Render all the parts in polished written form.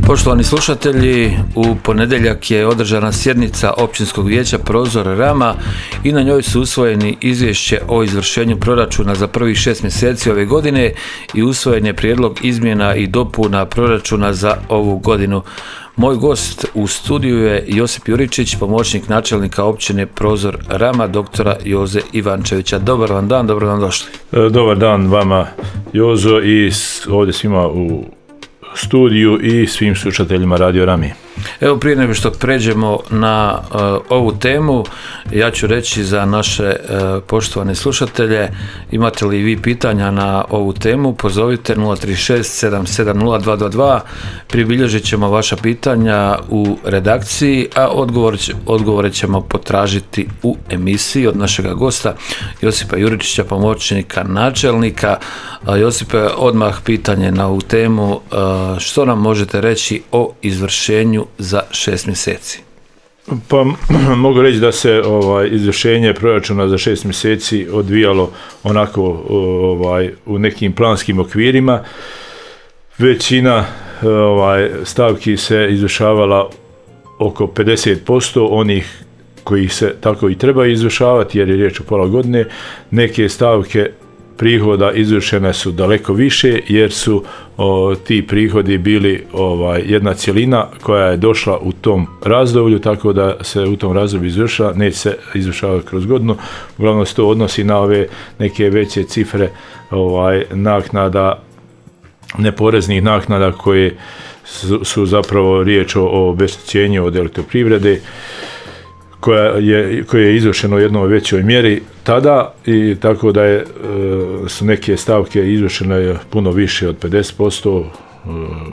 Poštovani slušatelji, u ponedjeljak je održana sjednica Općinskog vijeća Prozor Rama i na njoj su usvojeni izvješće o izvršenju proračuna za prvih 6 mjeseci ove godine i usvojen je prijedlog izmjena i dopuna proračuna za ovu godinu. Moj gost u studiju je Josip Juričić, pomoćnik načelnika općine Prozor Rama, doktora Joze Ivančevića. Dobar vam dan, dobro vam došli. Dobar dan vama, Jozo, i ovdje svima u studiju i svim slušateljima Radio Rami. Evo, prije nego što pređemo na ovu temu, ja ću reći za naše poštovane slušatelje, imate li vi pitanja na ovu temu, pozovite 036 770 222, pribilježit ćemo vaša pitanja u redakciji, a odgovore ćemo potražiti u emisiji od našega gosta Josipa Juričića, pomoćnika načelnika. Josipe, odmah pitanje na ovu temu, što nam možete reći o izvršenju za 6 mjeseci? Pa mogu reći da se izvršenje proračuna za 6 mjeseci odvijalo onako u nekim planskim okvirima. Većina stavki se izvršavala oko 50% onih koji se tako i treba izvršavati, jer je riječ o pola godine. Neke stavke prihoda izvršene su daleko više, jer su ti prihodi bili jedna cjelina koja je došla u tom razdoblju, tako da se u tom razdoblju izvršava, neće se izvršavati kroz godinu. Uglavnom se to odnosi na ove neke veće cifre naknada, neporeznih naknada koje su zapravo riječ o obeštećenju od elektroprivrede, koje je izvršeno u jednoj većoj mjeri tada, i tako da su neke stavke izvršene puno više od 50%,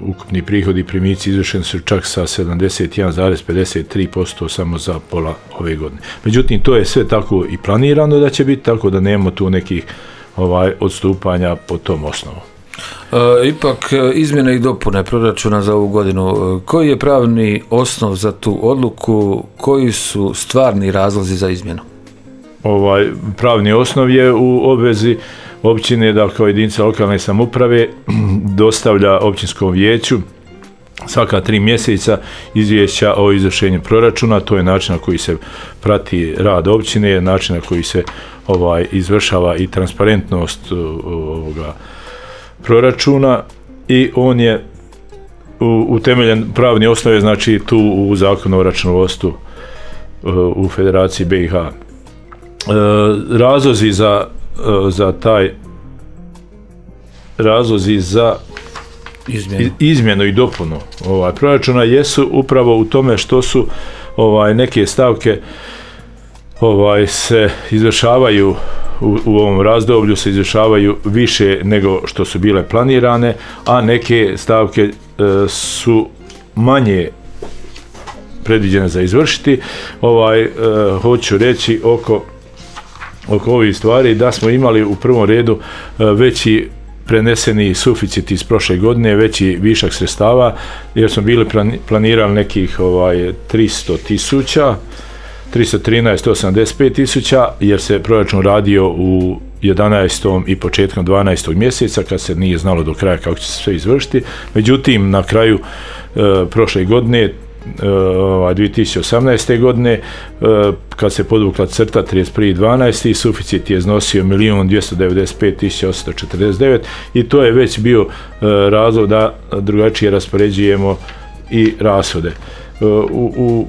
ukupni prihodi i primici izvršeni su čak sa 71,53% samo za pola ove godine. Međutim, to je sve tako i planirano da će biti, tako da nemamo tu nekih odstupanja po tom osnovu. Ipak, izmjene i dopune proračuna za ovu godinu, koji je pravni osnov za tu odluku, koji su stvarni razlozi za izmjenu? Pravni osnov je u obvezi općine da kao jedinica lokalne samouprave dostavlja općinskom vijeću svaka 3 mjeseca izvješća o izvršenju proračuna. To je način na koji se prati rad općine, način na koji se izvršava i transparentnost proračuna, i on je utemeljen, pravni osnov je znači tu u Zakonu o računovodstvu u Federaciji BiH. Razlozi za izmjenu i dopunu proračuna jesu upravo u tome što su neke stavke se izvršavaju u ovom razdoblju, se izvršavaju više nego što su bile planirane, a neke stavke su manje predviđene za izvršiti. Hoću reći oko ovih stvari da smo imali u prvom redu veći preneseni suficit iz prošle godine, veći višak sredstava, jer smo bili planirali nekih 313 185 tisuća, jer se proračun radio u 11. i početkom 12. mjeseca, kad se nije znalo do kraja kako će se sve izvršiti. Međutim, na kraju prošle godine, 2018. godine, kad se podvukla crta 31.12. suficit je iznosio 1.295.849, i to je već bio razlog da drugačije raspoređujemo i rashode.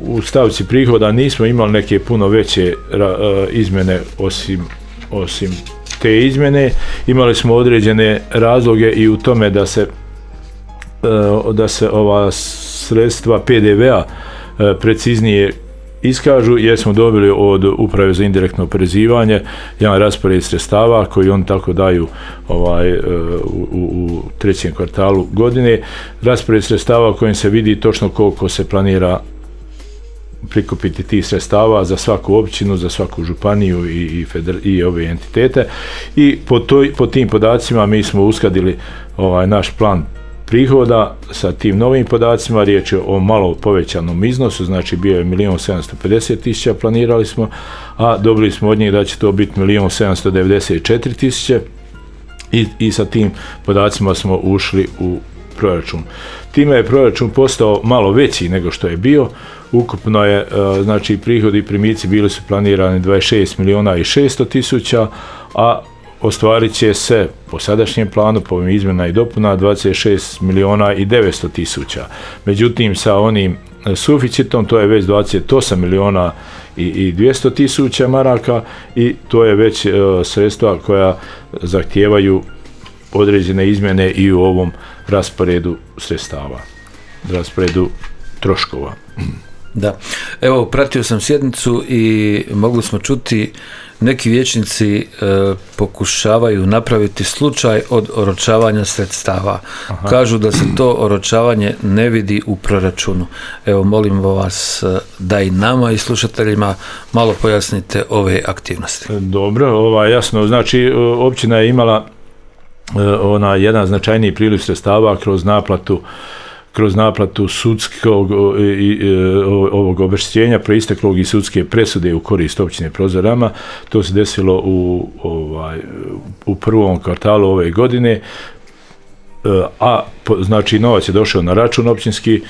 U stavci prihoda nismo imali neke puno veće izmjene osim te izmjene. Imali smo određene razloge i u tome da se ova sredstva PDV-a preciznije iskažu, jer smo dobili od Uprave za indirektno oporezivanje jedan raspored sredstava koji oni tako daju u trećem kvartalu godine. Raspored sredstava u kojem se vidi točno koliko se planira prikupiti tih sredstava za svaku općinu, za svaku županiju i ove entitete, i po tim podacima mi smo uskladili naš plan prihoda sa tim novim podacima. Riječ je o malo povećanom iznosu, znači bio je 1.750.000 planirali smo, a dobili smo od njih da će to biti 1.794.000, i sa tim podacima smo ušli proračun. Time je proračun postao malo veći nego što je bio. Ukupno je, znači, prihodi i primici bili su planirani 26 miliona i 600 tisuća, a ostvarit će se po sadašnjem planu, po ovim izmjena i dopuna, 26 miliona i 900 tisuća. Međutim, sa onim suficitom, to je već 28 miliona i 200 tisuća maraka i to je već sredstva koja zahtijevaju određene izmjene i u ovom rasporedu sredstava, rasporedu troškova. Da, evo, pratio sam sjednicu i mogli smo čuti neki vijećnici pokušavaju napraviti slučaj od oročavanja sredstava. Aha. Kažu da se to oročavanje ne vidi u proračunu. Evo, molimo vas da i nama i slušateljima malo pojasnite ove aktivnosti. Dobro, jasno, znači općina je imala jedan značajniji priliv sredstava kroz naplatu sudskog ovog obeštećenja proisteklog iz sudske presude u korist općine Prozorama. To se desilo u prvom kvartalu ove godine, a znači novac je došao na račun općinski,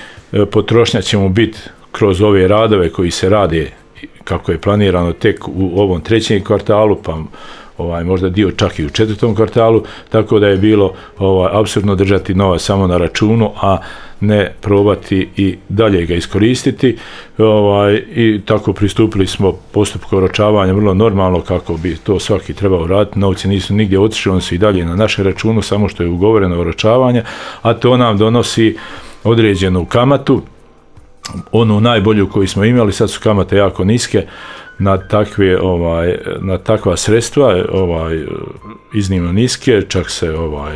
potrošnja će mu biti kroz ove radove koji se rade kako je planirano tek u ovom trećem kvartalu, pa možda dio čak i u četvrtom kvartalu, tako da je bilo apsurdno držati novac samo na računu, a ne probati i dalje ga iskoristiti. I tako pristupili smo postupku oročavanja vrlo normalno kako bi to svaki trebao raditi. Novci nisu nigdje otišli, oni su i dalje na našem računu, samo što je ugovoreno oročavanje, a to nam donosi određenu kamatu, onu najbolju koju smo imali. Sad su kamate jako niske na takva sredstva, iznimno niske, čak se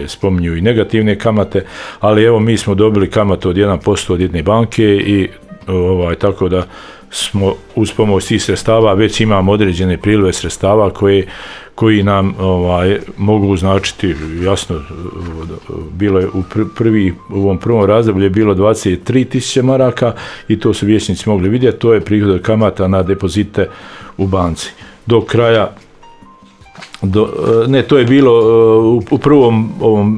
spominju i negativne kamate, ali evo mi smo dobili kamatu od 1% od jedne banke i tako da smo uz pomoć tih sredstava već imamo određene prilive sredstava koji nam mogu značiti, jasno, bilo je u ovom prvom razdoblju je bilo 23.000 maraka i to su vijećnici mogli vidjeti, to je prihod od kamata na depozite u banci. Do kraja to je bilo u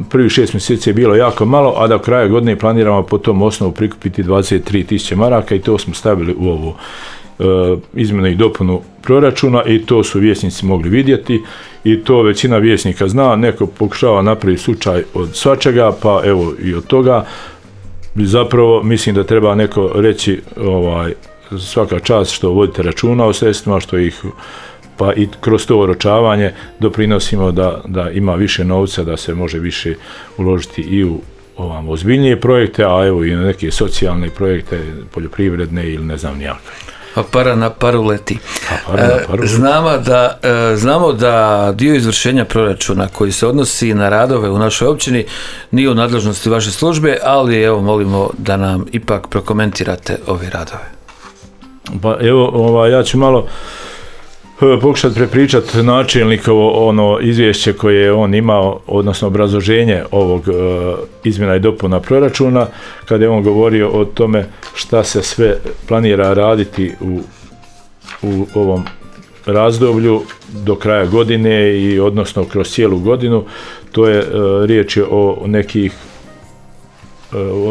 prvih 6 mjeseci je bilo jako malo, a do kraja godine planiramo po tom osnovu prikupiti 23.000 maraka i to smo stavili u ovu izmjenu i dopunu proračuna i to su vijećnici mogli vidjeti i to većina vijećnika zna. Neko pokušava napraviti slučaj od svačega, pa evo i od toga. Zapravo mislim da treba neko reći svaka čast što vodite računa o sredstvima, što ih pa i kroz to oročavanje doprinosimo da ima više novca, da se može više uložiti i u ozbiljnije projekte, a evo i na neke socijalne projekte, poljoprivredne ili ne znam nijaka. A para na paru leti. Znamo da dio izvršenja proračuna koji se odnosi na radove u našoj općini nije u nadležnosti vaše službe, ali evo molimo da nam ipak prokomentirate ove radove. Pa evo, ja ću malo pokušati prepričati načelnikovo izvješće koje je on imao, odnosno obrazloženje ovog izmjena i dopuna proračuna, kada je on govorio o tome šta se sve planira raditi u ovom razdoblju do kraja godine i odnosno kroz cijelu godinu. To je riječ je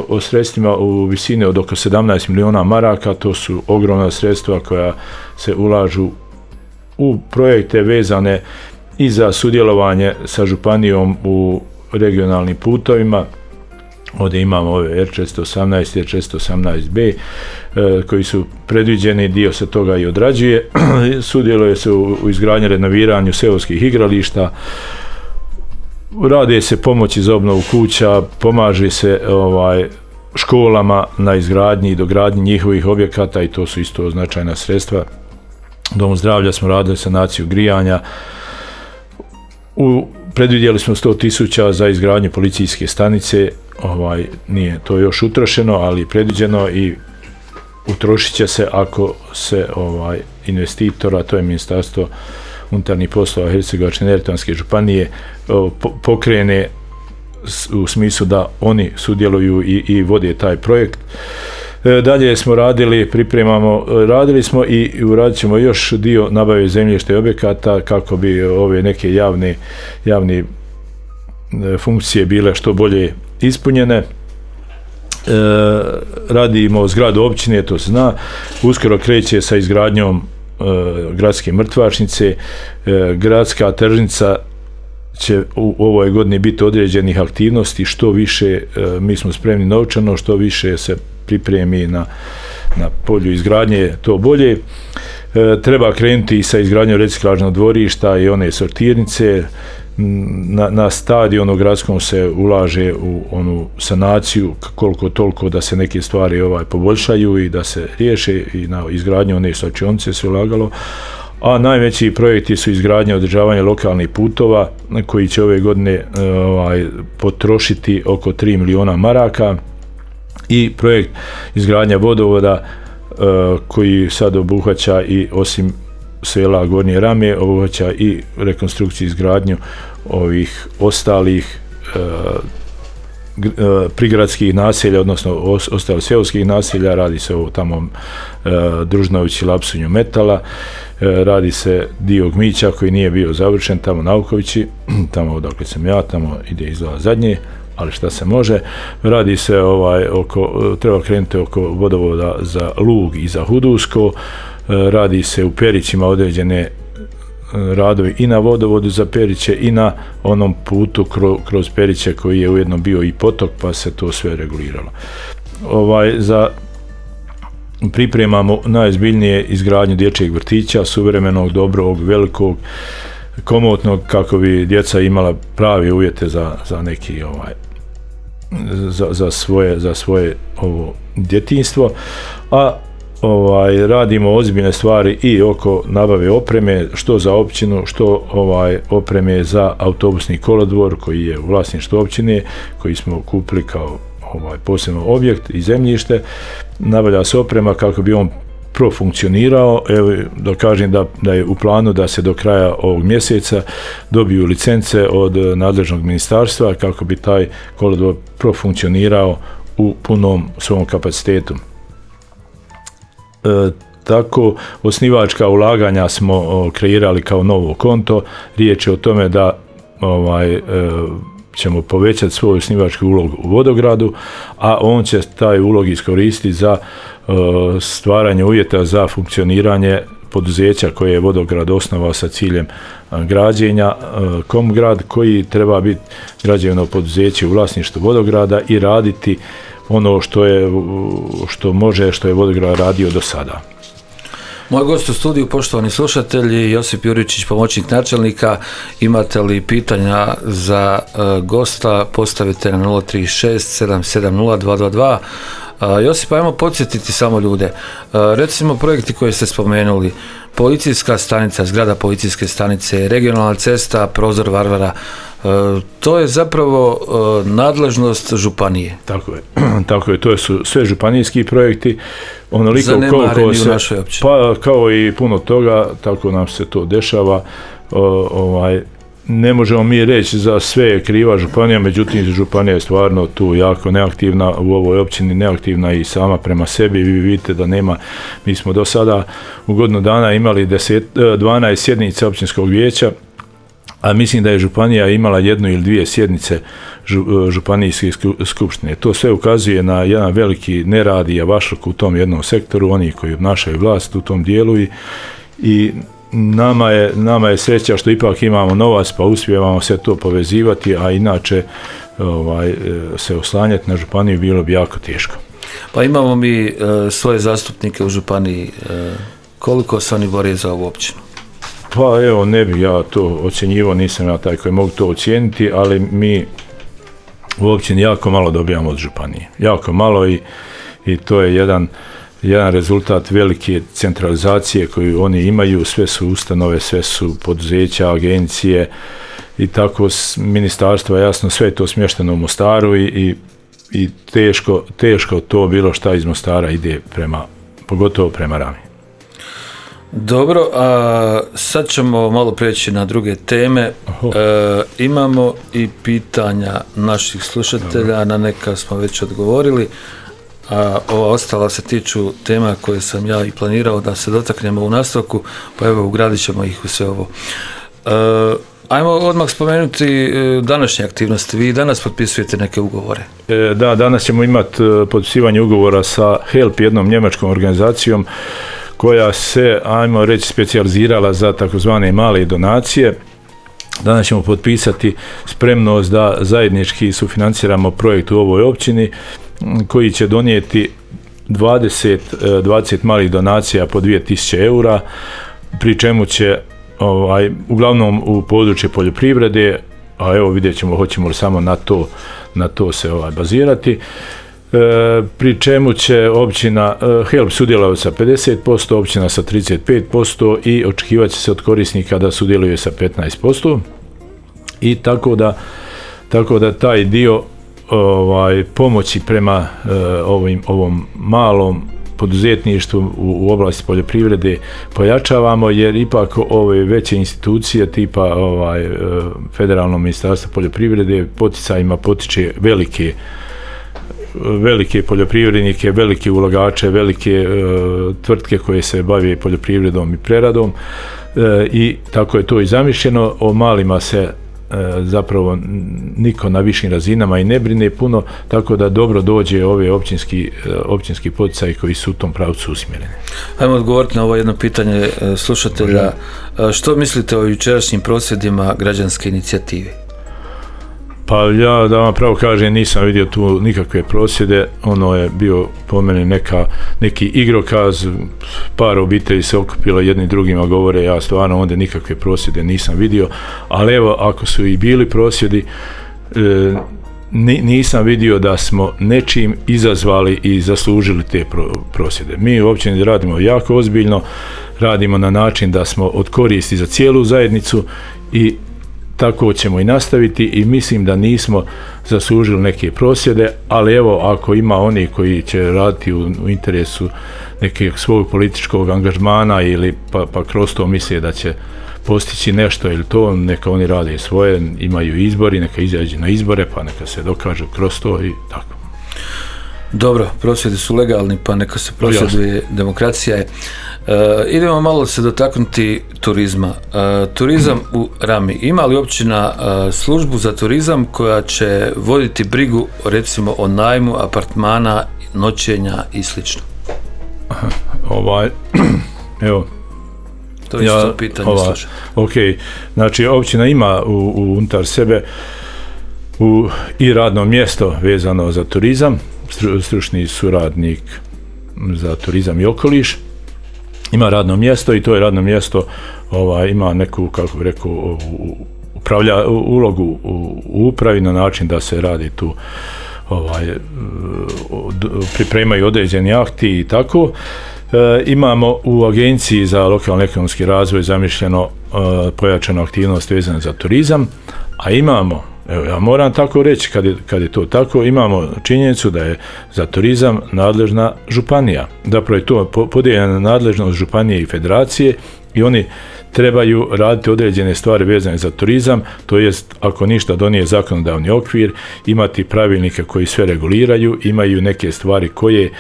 o sredstvima u visini od oko 17 miliona maraka. To su ogromna sredstva koja se ulažu u projekte vezane i za sudjelovanje sa županijom u regionalnim putovima. Ovdje imamo ove R418 i R418B koji su predviđeni, dio se toga i odrađuje. Sudjeluje se u izgradnji, renoviranju seoskih igrališta, rade se pomoći za obnovu kuća, pomaže se školama na izgradnji i dogradnji njihovih objekata i to su isto značajna sredstva. Domu zdravlja smo radili sanaciju grijanja, predvidjeli smo 100.000 za izgradnju policijske stanice, nije to još utrošeno, ali predviđeno i utrošit će se ako se investitor, a to je Ministarstvo unutarnjih poslova Hercegovačko-neretvanske županije, pokrene u smislu da oni sudjeluju i vode taj projekt. Dalje smo radili smo i uradit ćemo još dio nabave zemljišta i objekata kako bi ove neke javne funkcije bile što bolje ispunjene. radimo zgradu općine, to se zna, uskoro kreće sa izgradnjom gradske mrtvačnice, gradska tržnica će u ovoj godini biti određenih aktivnosti, što više mi smo spremni novčano, što više se pripremi na polju izgradnje, to bolje. Treba krenuti sa izgradnjom reciklažnog dvorišta i one sortirnice. Na stadionu gradskom se ulaže u onu sanaciju koliko toliko da se neke stvari poboljšaju i da se riješe, i na izgradnju one slačionice se ulagalo. A najveći projekti su izgradnja i održavanje lokalnih putova koji će ove godine potrošiti oko 3 miliona maraka, i projekt izgradnja vodovoda koji sad obuhvaća i osim sela Gornje Rame, obuhvaća i rekonstrukciju izgradnju ovih ostalih prigradskih naselja, odnosno ostalih seoskih naselja. Radi se o tamo Družnovići, Lapsunju, Metala, radi se dio Gmića koji nije bio završen, tamo Naukovići, tamo odakle sam ja, tamo ide izgleda zadnje, ali šta se može. Radi se treba krenuti oko vodovoda za Lug i za Hudusko, radi se u Perićima određene radovi i na vodovodu za Periće i na onom putu kroz Periće koji je ujedno bio i potok, pa se to sve reguliralo. Pripremamo najozbiljnije izgradnju dječjeg vrtića, suvremenog, dobrog, velikog, komotnog, kako bi djeca imala pravi uvjete za neki za svoje ovo djetinjstvo, a radimo ozbiljne stvari i oko nabave opreme, što za općinu, što opreme za autobusni kolodvor koji je u vlasništvu općine, koji smo kupili kao posebno objekt i zemljište. Nabavlja se oprema kako bi on profunkcionirao. Evo, da kažem da je u planu da se do kraja ovog mjeseca dobiju licence od nadležnog ministarstva kako bi taj kolodvor profunkcionirao u punom svom kapacitetu. Tako, osnivačka ulaganja smo kreirali kao novo konto. Riječ je o tome da ćemo povećati svoj osnivački ulog u Vodogradu, a on će taj ulog iskoristiti za stvaranje uvjeta za funkcioniranje poduzeća koje je Vodograd osnovao sa ciljem građenja, Komgrad, koji treba biti građevno poduzeće u vlasništvu Vodograda i raditi ono što je Vodograd radio do sada. Moj gost u studiju, poštovani slušatelji, Josip Juričić, pomoćnik načelnika. Imate li pitanja za gosta, postavite na 036 770 222. Josip, ajmo podsjetiti samo ljude. Recimo projekti koje ste spomenuli, policijska stanica, zgrada policijske stanice, regionalna cesta, prozor Varvara, to je zapravo nadležnost županije. Tako je, to su sve županijski projekti. Zanemareni u našoj općini. Pa kao i puno toga, tako nam se to dešava. Ne možemo mi reći za sve je kriva županija, međutim županija je stvarno tu jako neaktivna, u ovoj općini neaktivna i sama prema sebi. Vi vidite da nema, mi smo do sada u godinu dana imali 12 sjednica općinskog vijeća, a mislim da je županija imala 1 ili 2 sjednice županijske skupštine. To sve ukazuje na jedan veliki nerad i javašluk u tom jednom sektoru, oni koji obnašaju vlast u tom dijelu, i nama je sreća što ipak imamo novac pa uspijevamo sve to povezivati, a inače se oslanjati na županiju bilo bi jako teško. Pa imamo mi svoje zastupnike u županiji, koliko se oni bore za ovu općinu? Pa evo, ne bih ja to ocjenjivao, nisam ja taj koji mogu to ocijeniti, ali mi u općini jako malo dobijamo od županije. Jako malo, i to je jedan rezultat velike centralizacije koju oni imaju. Sve su ustanove, sve su poduzeća, agencije i tako ministarstva, jasno, sve je to smješteno u Mostaru i teško to bilo šta iz Mostara ide pogotovo prema Rami. Dobro, a sad ćemo malo prijeći na druge teme. Imamo i pitanja naših slušatelja, na neka smo već odgovorili, a ova ostala se tiču tema koje sam ja i planirao da se dotaknemo u nastavku, pa evo ugradit ćemo ih u sve ovo. Ajmo odmah spomenuti današnje aktivnosti. Vi danas potpisujete neke ugovore. Da, danas ćemo imati potpisivanje ugovora sa HELP, jednom njemačkom organizacijom koja se, ajmo reći, specijalizirala za takozvane male donacije. Danas ćemo potpisati spremnost da zajednički sufinanciramo projekt u ovoj općini koji će donijeti 20 malih donacija po 2000 eura, pri čemu će uglavnom u područje poljoprivrede, a evo vidjet ćemo hoćemo li samo na to se bazirati, pri čemu će općina HELP sudjelovati sa 50%, općina sa 35% i očekivat će se od korisnika da sudjeluje sa 15%. I tako da taj dio pomoći prema ovom malom poduzetništvu u oblasti poljoprivrede pojačavamo, jer ipak ove veće institucije tipa Federalno ministarstvo poljoprivrede poticajima potiče velike poljoprivrednike, velike ulagače, velike tvrtke koje se bave poljoprivredom i preradom, i tako je to i zamišljeno. O malima se zapravo niko na višim razinama i ne brine puno, tako da dobro dođe ove općinski poticaji koji su u tom pravcu usmjereni. Ajmo odgovoriti na ovo jedno pitanje slušatelja. Što mislite o jučerašnjim prosvjedima građanske inicijative? Pa ja, da vam pravo kažem, nisam vidio tu nikakve prosvjede. Ono je bio po meni neki igrokaz, par obitelji se okupilo, jedni drugima govore, ja stvarno onda nikakve prosvjede nisam vidio, ali evo, ako su i bili prosvjedi, nisam vidio da smo nečim izazvali i zaslužili te prosvjede. Mi u općini radimo jako ozbiljno, radimo na način da smo od koristi za cijelu zajednicu i tako ćemo i nastaviti, i mislim da nismo zaslužili neke prosvjede, ali evo, ako ima oni koji će raditi u interesu nekog svog političkog angažmana ili pa kroz to misle da će postići nešto ili to, neka oni rade svoje, imaju izbori, neka izađu na izbore, pa neka se dokažu kroz to i tako. Dobro, prosvjedi su legalni, pa neka se prosvjeduje, demokracija je. Idemo malo se dotaknuti turizma. Turizam u Rami. Ima li općina službu za turizam koja će voditi brigu, recimo, o najmu apartmana, noćenja i slično? Evo. To je isto pitanje, slušaj. Ok, znači općina ima unutar sebe i radno mjesto vezano za turizam, stručni suradnik za turizam i okoliš. Ima radno mjesto i to je radno mjesto ima neku, kako bih rekao, ulogu u upravi na način da se radi tu, pripremaju određeni akti i tako. Imamo u Agenciji za lokalni ekonomski razvoj zamišljeno pojačanu aktivnost vezanu za turizam, a imamo, evo ja moram tako reći, kad je to tako, imamo činjenicu da je za turizam nadležna županija. Zapravo je to podijeljena nadležnost županije i federacije i oni trebaju raditi određene stvari vezane za turizam, to jest ako ništa donije zakonodavni okvir, imati pravilnike koji sve reguliraju, imaju neke stvari koje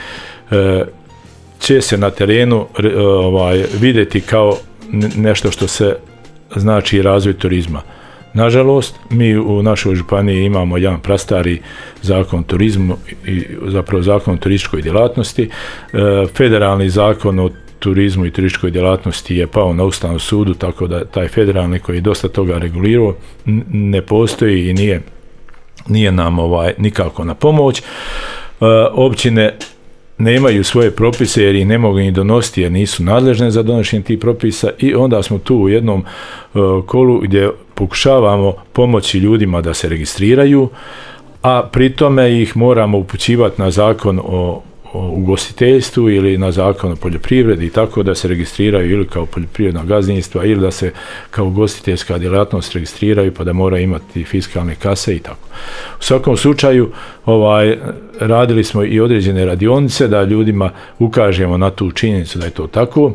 će se na terenu vidjeti kao nešto što se znači razvoj turizma. Nažalost, mi u našoj županiji imamo jedan prastari zakon o turizmu i zapravo zakon o turističkoj djelatnosti. Federalni zakon o turizmu i turističkoj djelatnosti je pao na Ustavnom sudu, tako da taj federalni koji je dosta toga regulirao ne postoji i nije nam nikako na pomoć. Općine nemaju svoje propise jer ih ne mogu ni donositi jer nisu nadležne za donošenje tih propisa, i onda smo tu u jednom kolu gdje pokušavamo pomoći ljudima da se registriraju, a pri tome ih moramo upućivati na zakon o ugostiteljstvu ili na zakon o poljoprivredi, tako da se registriraju ili kao poljoprivredna gazdinstva ili da se kao ugostiteljska djelatnost registriraju pa da moraju imati fiskalne kase i tako. U svakom slučaju radili smo i određene radionice da ljudima ukažemo na tu činjenicu da je to tako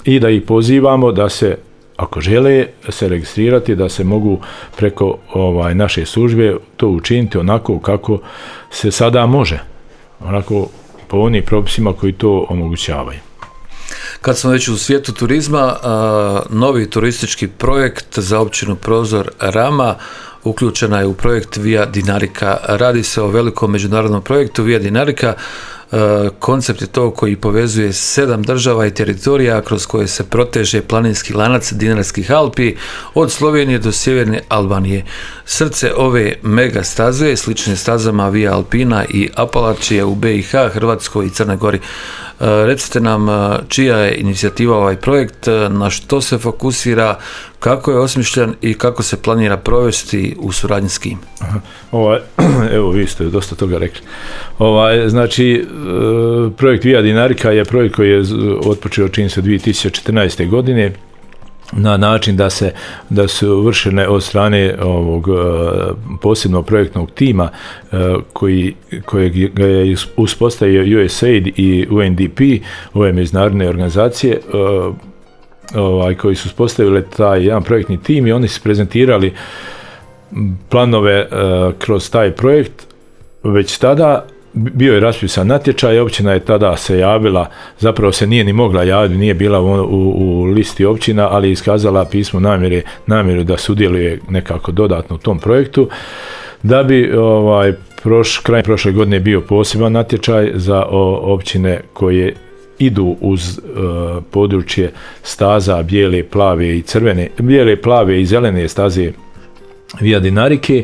i da ih pozivamo da se, ako žele se registrirati, da se mogu preko naše službe to učiniti onako kako se sada može, onako po onim propisima koji to omogućavaju. Kad smo već u svijetu turizma, novi turistički projekt za općinu Prozor Rama uključena je u projekt Via Dinarica. Radi se o velikom međunarodnom projektu Via Dinarica. Koncept je to koji povezuje 7 država i teritorija kroz koje se proteže planinski lanac Dinarskih Alpi od Slovenije do sjeverne Albanije. Srce ove mega staze, slične stazama Via Alpina i Apalačije u BiH, Hrvatskoj i Crnoj Gori. Recite nam čija je inicijativa ovaj projekt, na što se fokusira, kako je osmišljen i kako se planira provesti u suradnji s kim? Evo, vi ste dosta toga rekli. Znači, projekt Via Dinarica je projekt koji je otpočeo čini se 2014. godine na način da su vršene od strane ovog posebnog projektnog tima kojeg ga je uspostavio USAID i UNDP, ove međunarodne organizacije koji su uspostavili taj jedan projektni tim i oni su prezentirali planove kroz taj projekt. Već tada bio je raspisan natječaj, općina je tada se javila, zapravo se nije ni mogla javiti, nije bila u listi općina, ali je iskazala pismo namjeru da sudjeluje nekako dodatno u tom projektu. Da bi krajem prošle godine bio poseban natječaj za općine koje idu uz područje staza bijele, plave i zelene staze Via Dinarice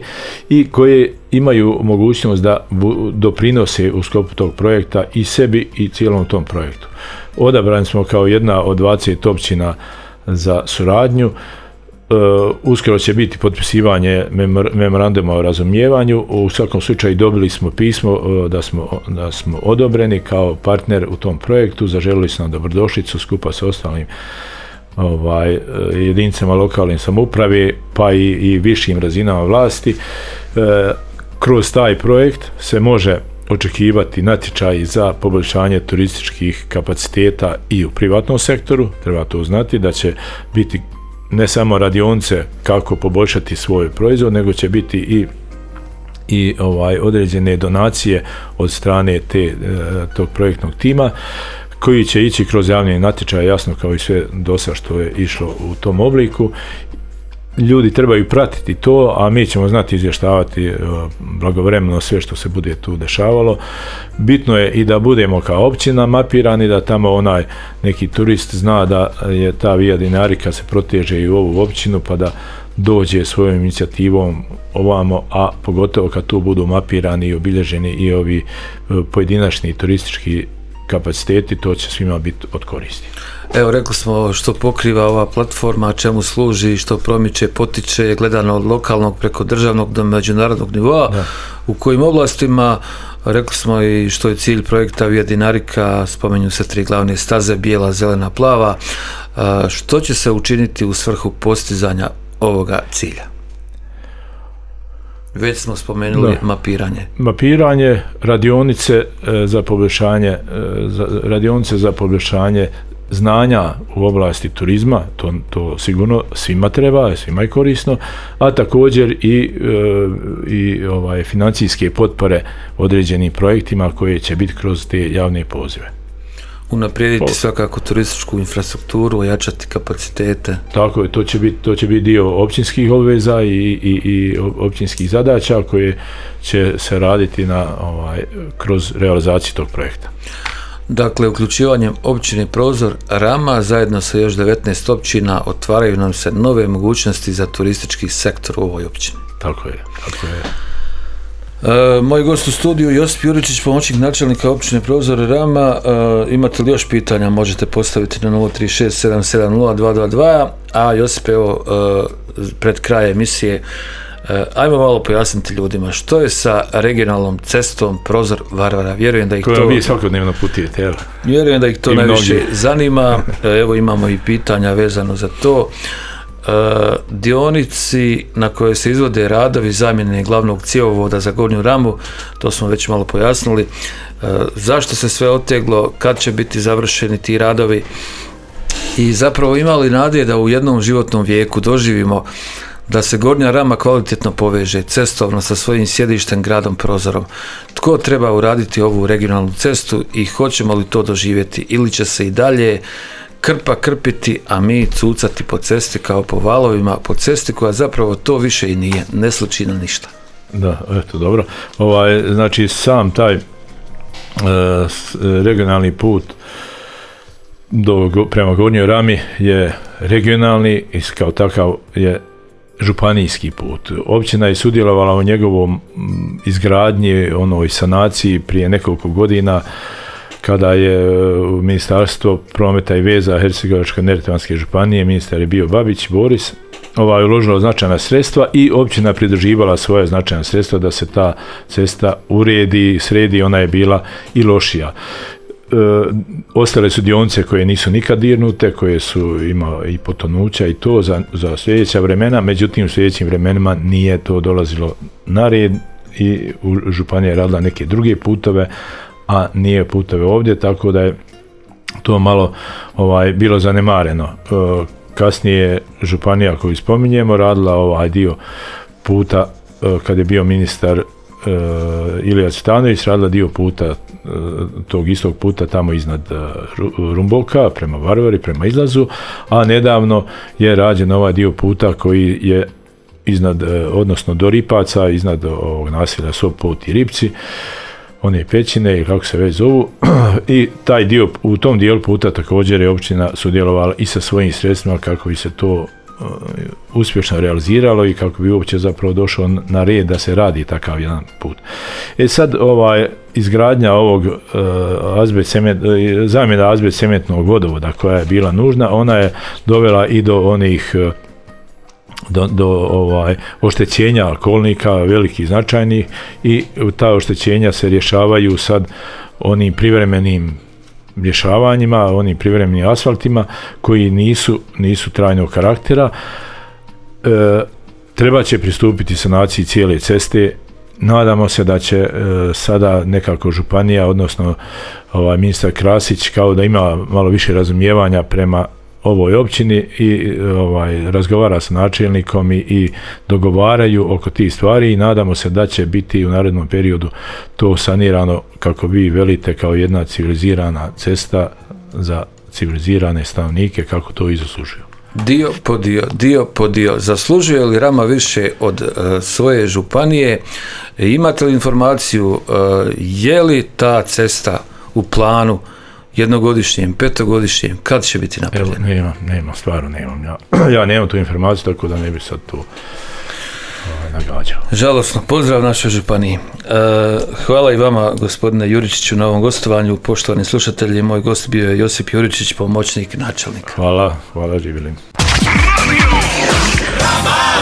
i koje imaju mogućnost da doprinose u sklopu tog projekta i sebi i cijelom tom projektu. Odabrani smo kao jedna od 20 općina za suradnju. Uskoro će biti potpisivanje memoranduma o razumijevanju. U svakom slučaju dobili smo pismo da smo odobreni kao partner u tom projektu. Zaželili su nam dobrodošlicu skupa sa ostalim jedinicama lokalne samouprave pa i višim razinama vlasti. Kroz taj projekt se može očekivati natječaj za poboljšanje turističkih kapaciteta i u privatnom sektoru. Treba to znati da će biti ne samo radionice kako poboljšati svoj proizvod, nego će biti i određene donacije od strane tog projektnog tima koji će ići kroz javni natječaj, jasno kao i sve dosad što je išlo u tom obliku. Ljudi trebaju pratiti to, a mi ćemo znati izvještavati blagovremeno sve što se bude tu dešavalo. Bitno je i da budemo kao općina mapirani, da tamo onaj neki turist zna da je ta Via Dinarica se proteže i u ovu općinu, pa da dođe svojom inicijativom ovamo, a pogotovo kad tu budu mapirani i obilježeni i ovi pojedinačni turistički kapaciteti, to će svima biti od koristi. Evo, rekli smo što pokriva ova platforma, čemu služi, što promiče, potiče, gledano od lokalnog preko državnog do međunarodnog nivoa, u kojim oblastima, rekli smo i što je cilj projekta Via Dinarica, spomenju se 3 glavne staze, bijela, zelena, plava. Što će se učiniti u svrhu postizanja ovoga cilja? Već smo spomenuli mapiranje. Radionice za poboljšanje znanja u oblasti turizma, to sigurno svima treba, svima je korisno, a također i financijske potpore određenim projektima koje će biti kroz te javne pozive. Unaprijediti svakako turističku infrastrukturu, ojačati kapacitete. Tako je, to će biti dio općinskih obveza i općinskih zadaća koje će se raditi kroz realizaciju tog projekta. Dakle, uključivanjem općine Prozor Rama zajedno sa još 19 općina otvaraju nam se nove mogućnosti za turistički sektor u ovoj općini. Tako je. Moj gost u studiju Josip Juričić, pomoćnik načelnika općine Prozor Rama. Imate li još pitanja? Možete postaviti na 036 770 222. A Josip, evo, pred kraj emisije, ajmo malo pojasniti ljudima što je sa regionalnom cestom Prozor Varvara. Vjerujem da ih to... vi svakodnevno putujete, jel? Vjerujem da ih to najviše zanima. Evo, imamo i pitanja vezano za to. Dionici na koje se izvode radovi zamjene glavnog cjevovoda za Gornju Ramu, to smo već malo pojasnili. Zašto se sve oteglo, kad će biti završeni ti radovi i zapravo imali nade da u jednom životnom vijeku doživimo da se Gornja Rama kvalitetno poveže cestovno sa svojim sjedištem gradom Prozorom. Tko treba uraditi ovu regionalnu cestu i hoćemo li to doživjeti ili će se i dalje krpa krpiti, a mi cucati po cesti kao po valovima, po cesti koja zapravo to više i nije, ne sliči na ništa. Da, eto, dobro. Znači, sam taj regionalni put prema Gornjoj Rami je regionalni i kao takav je županijski put. Općina je sudjelovala u njegovom izgradnji, onoj sanaciji prije nekoliko godina, kada je Ministarstvo prometa i veza Hercegovačko-neretvanske županije, ministar je bio Babić Boris, uložilo značajna sredstva i općina pridruživala svoje značajna sredstva da se ta cesta uredi, sredi, ona je bila i lošija. Ostale su dionice koje nisu nikad dirnute, koje su imale i potonuća i to za sljedeća vremena, međutim u sljedećim vremenima nije to dolazilo na red i županija je radila neke druge putove, a nije putove ovdje, tako da je to malo bilo zanemareno. Kasnije je županija koju spominjemo radila ovaj dio puta kad je bio ministar Ilija Cvitanović, radila dio puta tog istog puta tamo iznad Rumboka prema Varvari, prema izlazu, a nedavno je rađen ovaj dio puta koji je iznad, odnosno do Ripaca, iznad ovog naselja Sopot i Ripci, one pećine i kako se već zovu, i taj dio, u tom dijelu puta također je općina sudjelovala i sa svojim sredstvima kako bi se to uspješno realiziralo i kako bi uopće zapravo došao na red da se takav jedan put. Sad izgradnja ovog zamjena azbest cementnog vodovoda koja je bila nužna, ona je dovela i do onih do oštećenja kolnika velikih značajnih i ta oštećenja se rješavaju sad onim privremenim rješavanjima, onim privremenim asfaltima koji nisu trajnog karaktera. Treba će pristupiti sanaciji cijele ceste. Nadamo se da će sada nekako županija, odnosno ministar Krasić, kao da ima malo više razumijevanja prema ovoj općini i razgovara sa načelnikom i dogovaraju oko tih stvari i nadamo se da će biti u narednom periodu to sanirano, kako vi velite, kao jedna civilizirana cesta za civilizirane stanovnike, kako to i zaslužuju. Dio po dio. Zaslužuje li Rama više od svoje županije? Imate li informaciju je li ta cesta u planu jednogodišnjem, petogodišnjem, kad će biti napravljena? Nemam, stvarno nemam. Ja nemam tu informaciju, tako da ne bi sad tu nagađao. Žalosno, pozdrav našoj županiji. Hvala i vama, gospodine Juričiću, na ovom gostovanju. Poštovani slušatelji, moj gost bio je Josip Juričić, pomoćnik načelnika. Hvala, živjeli.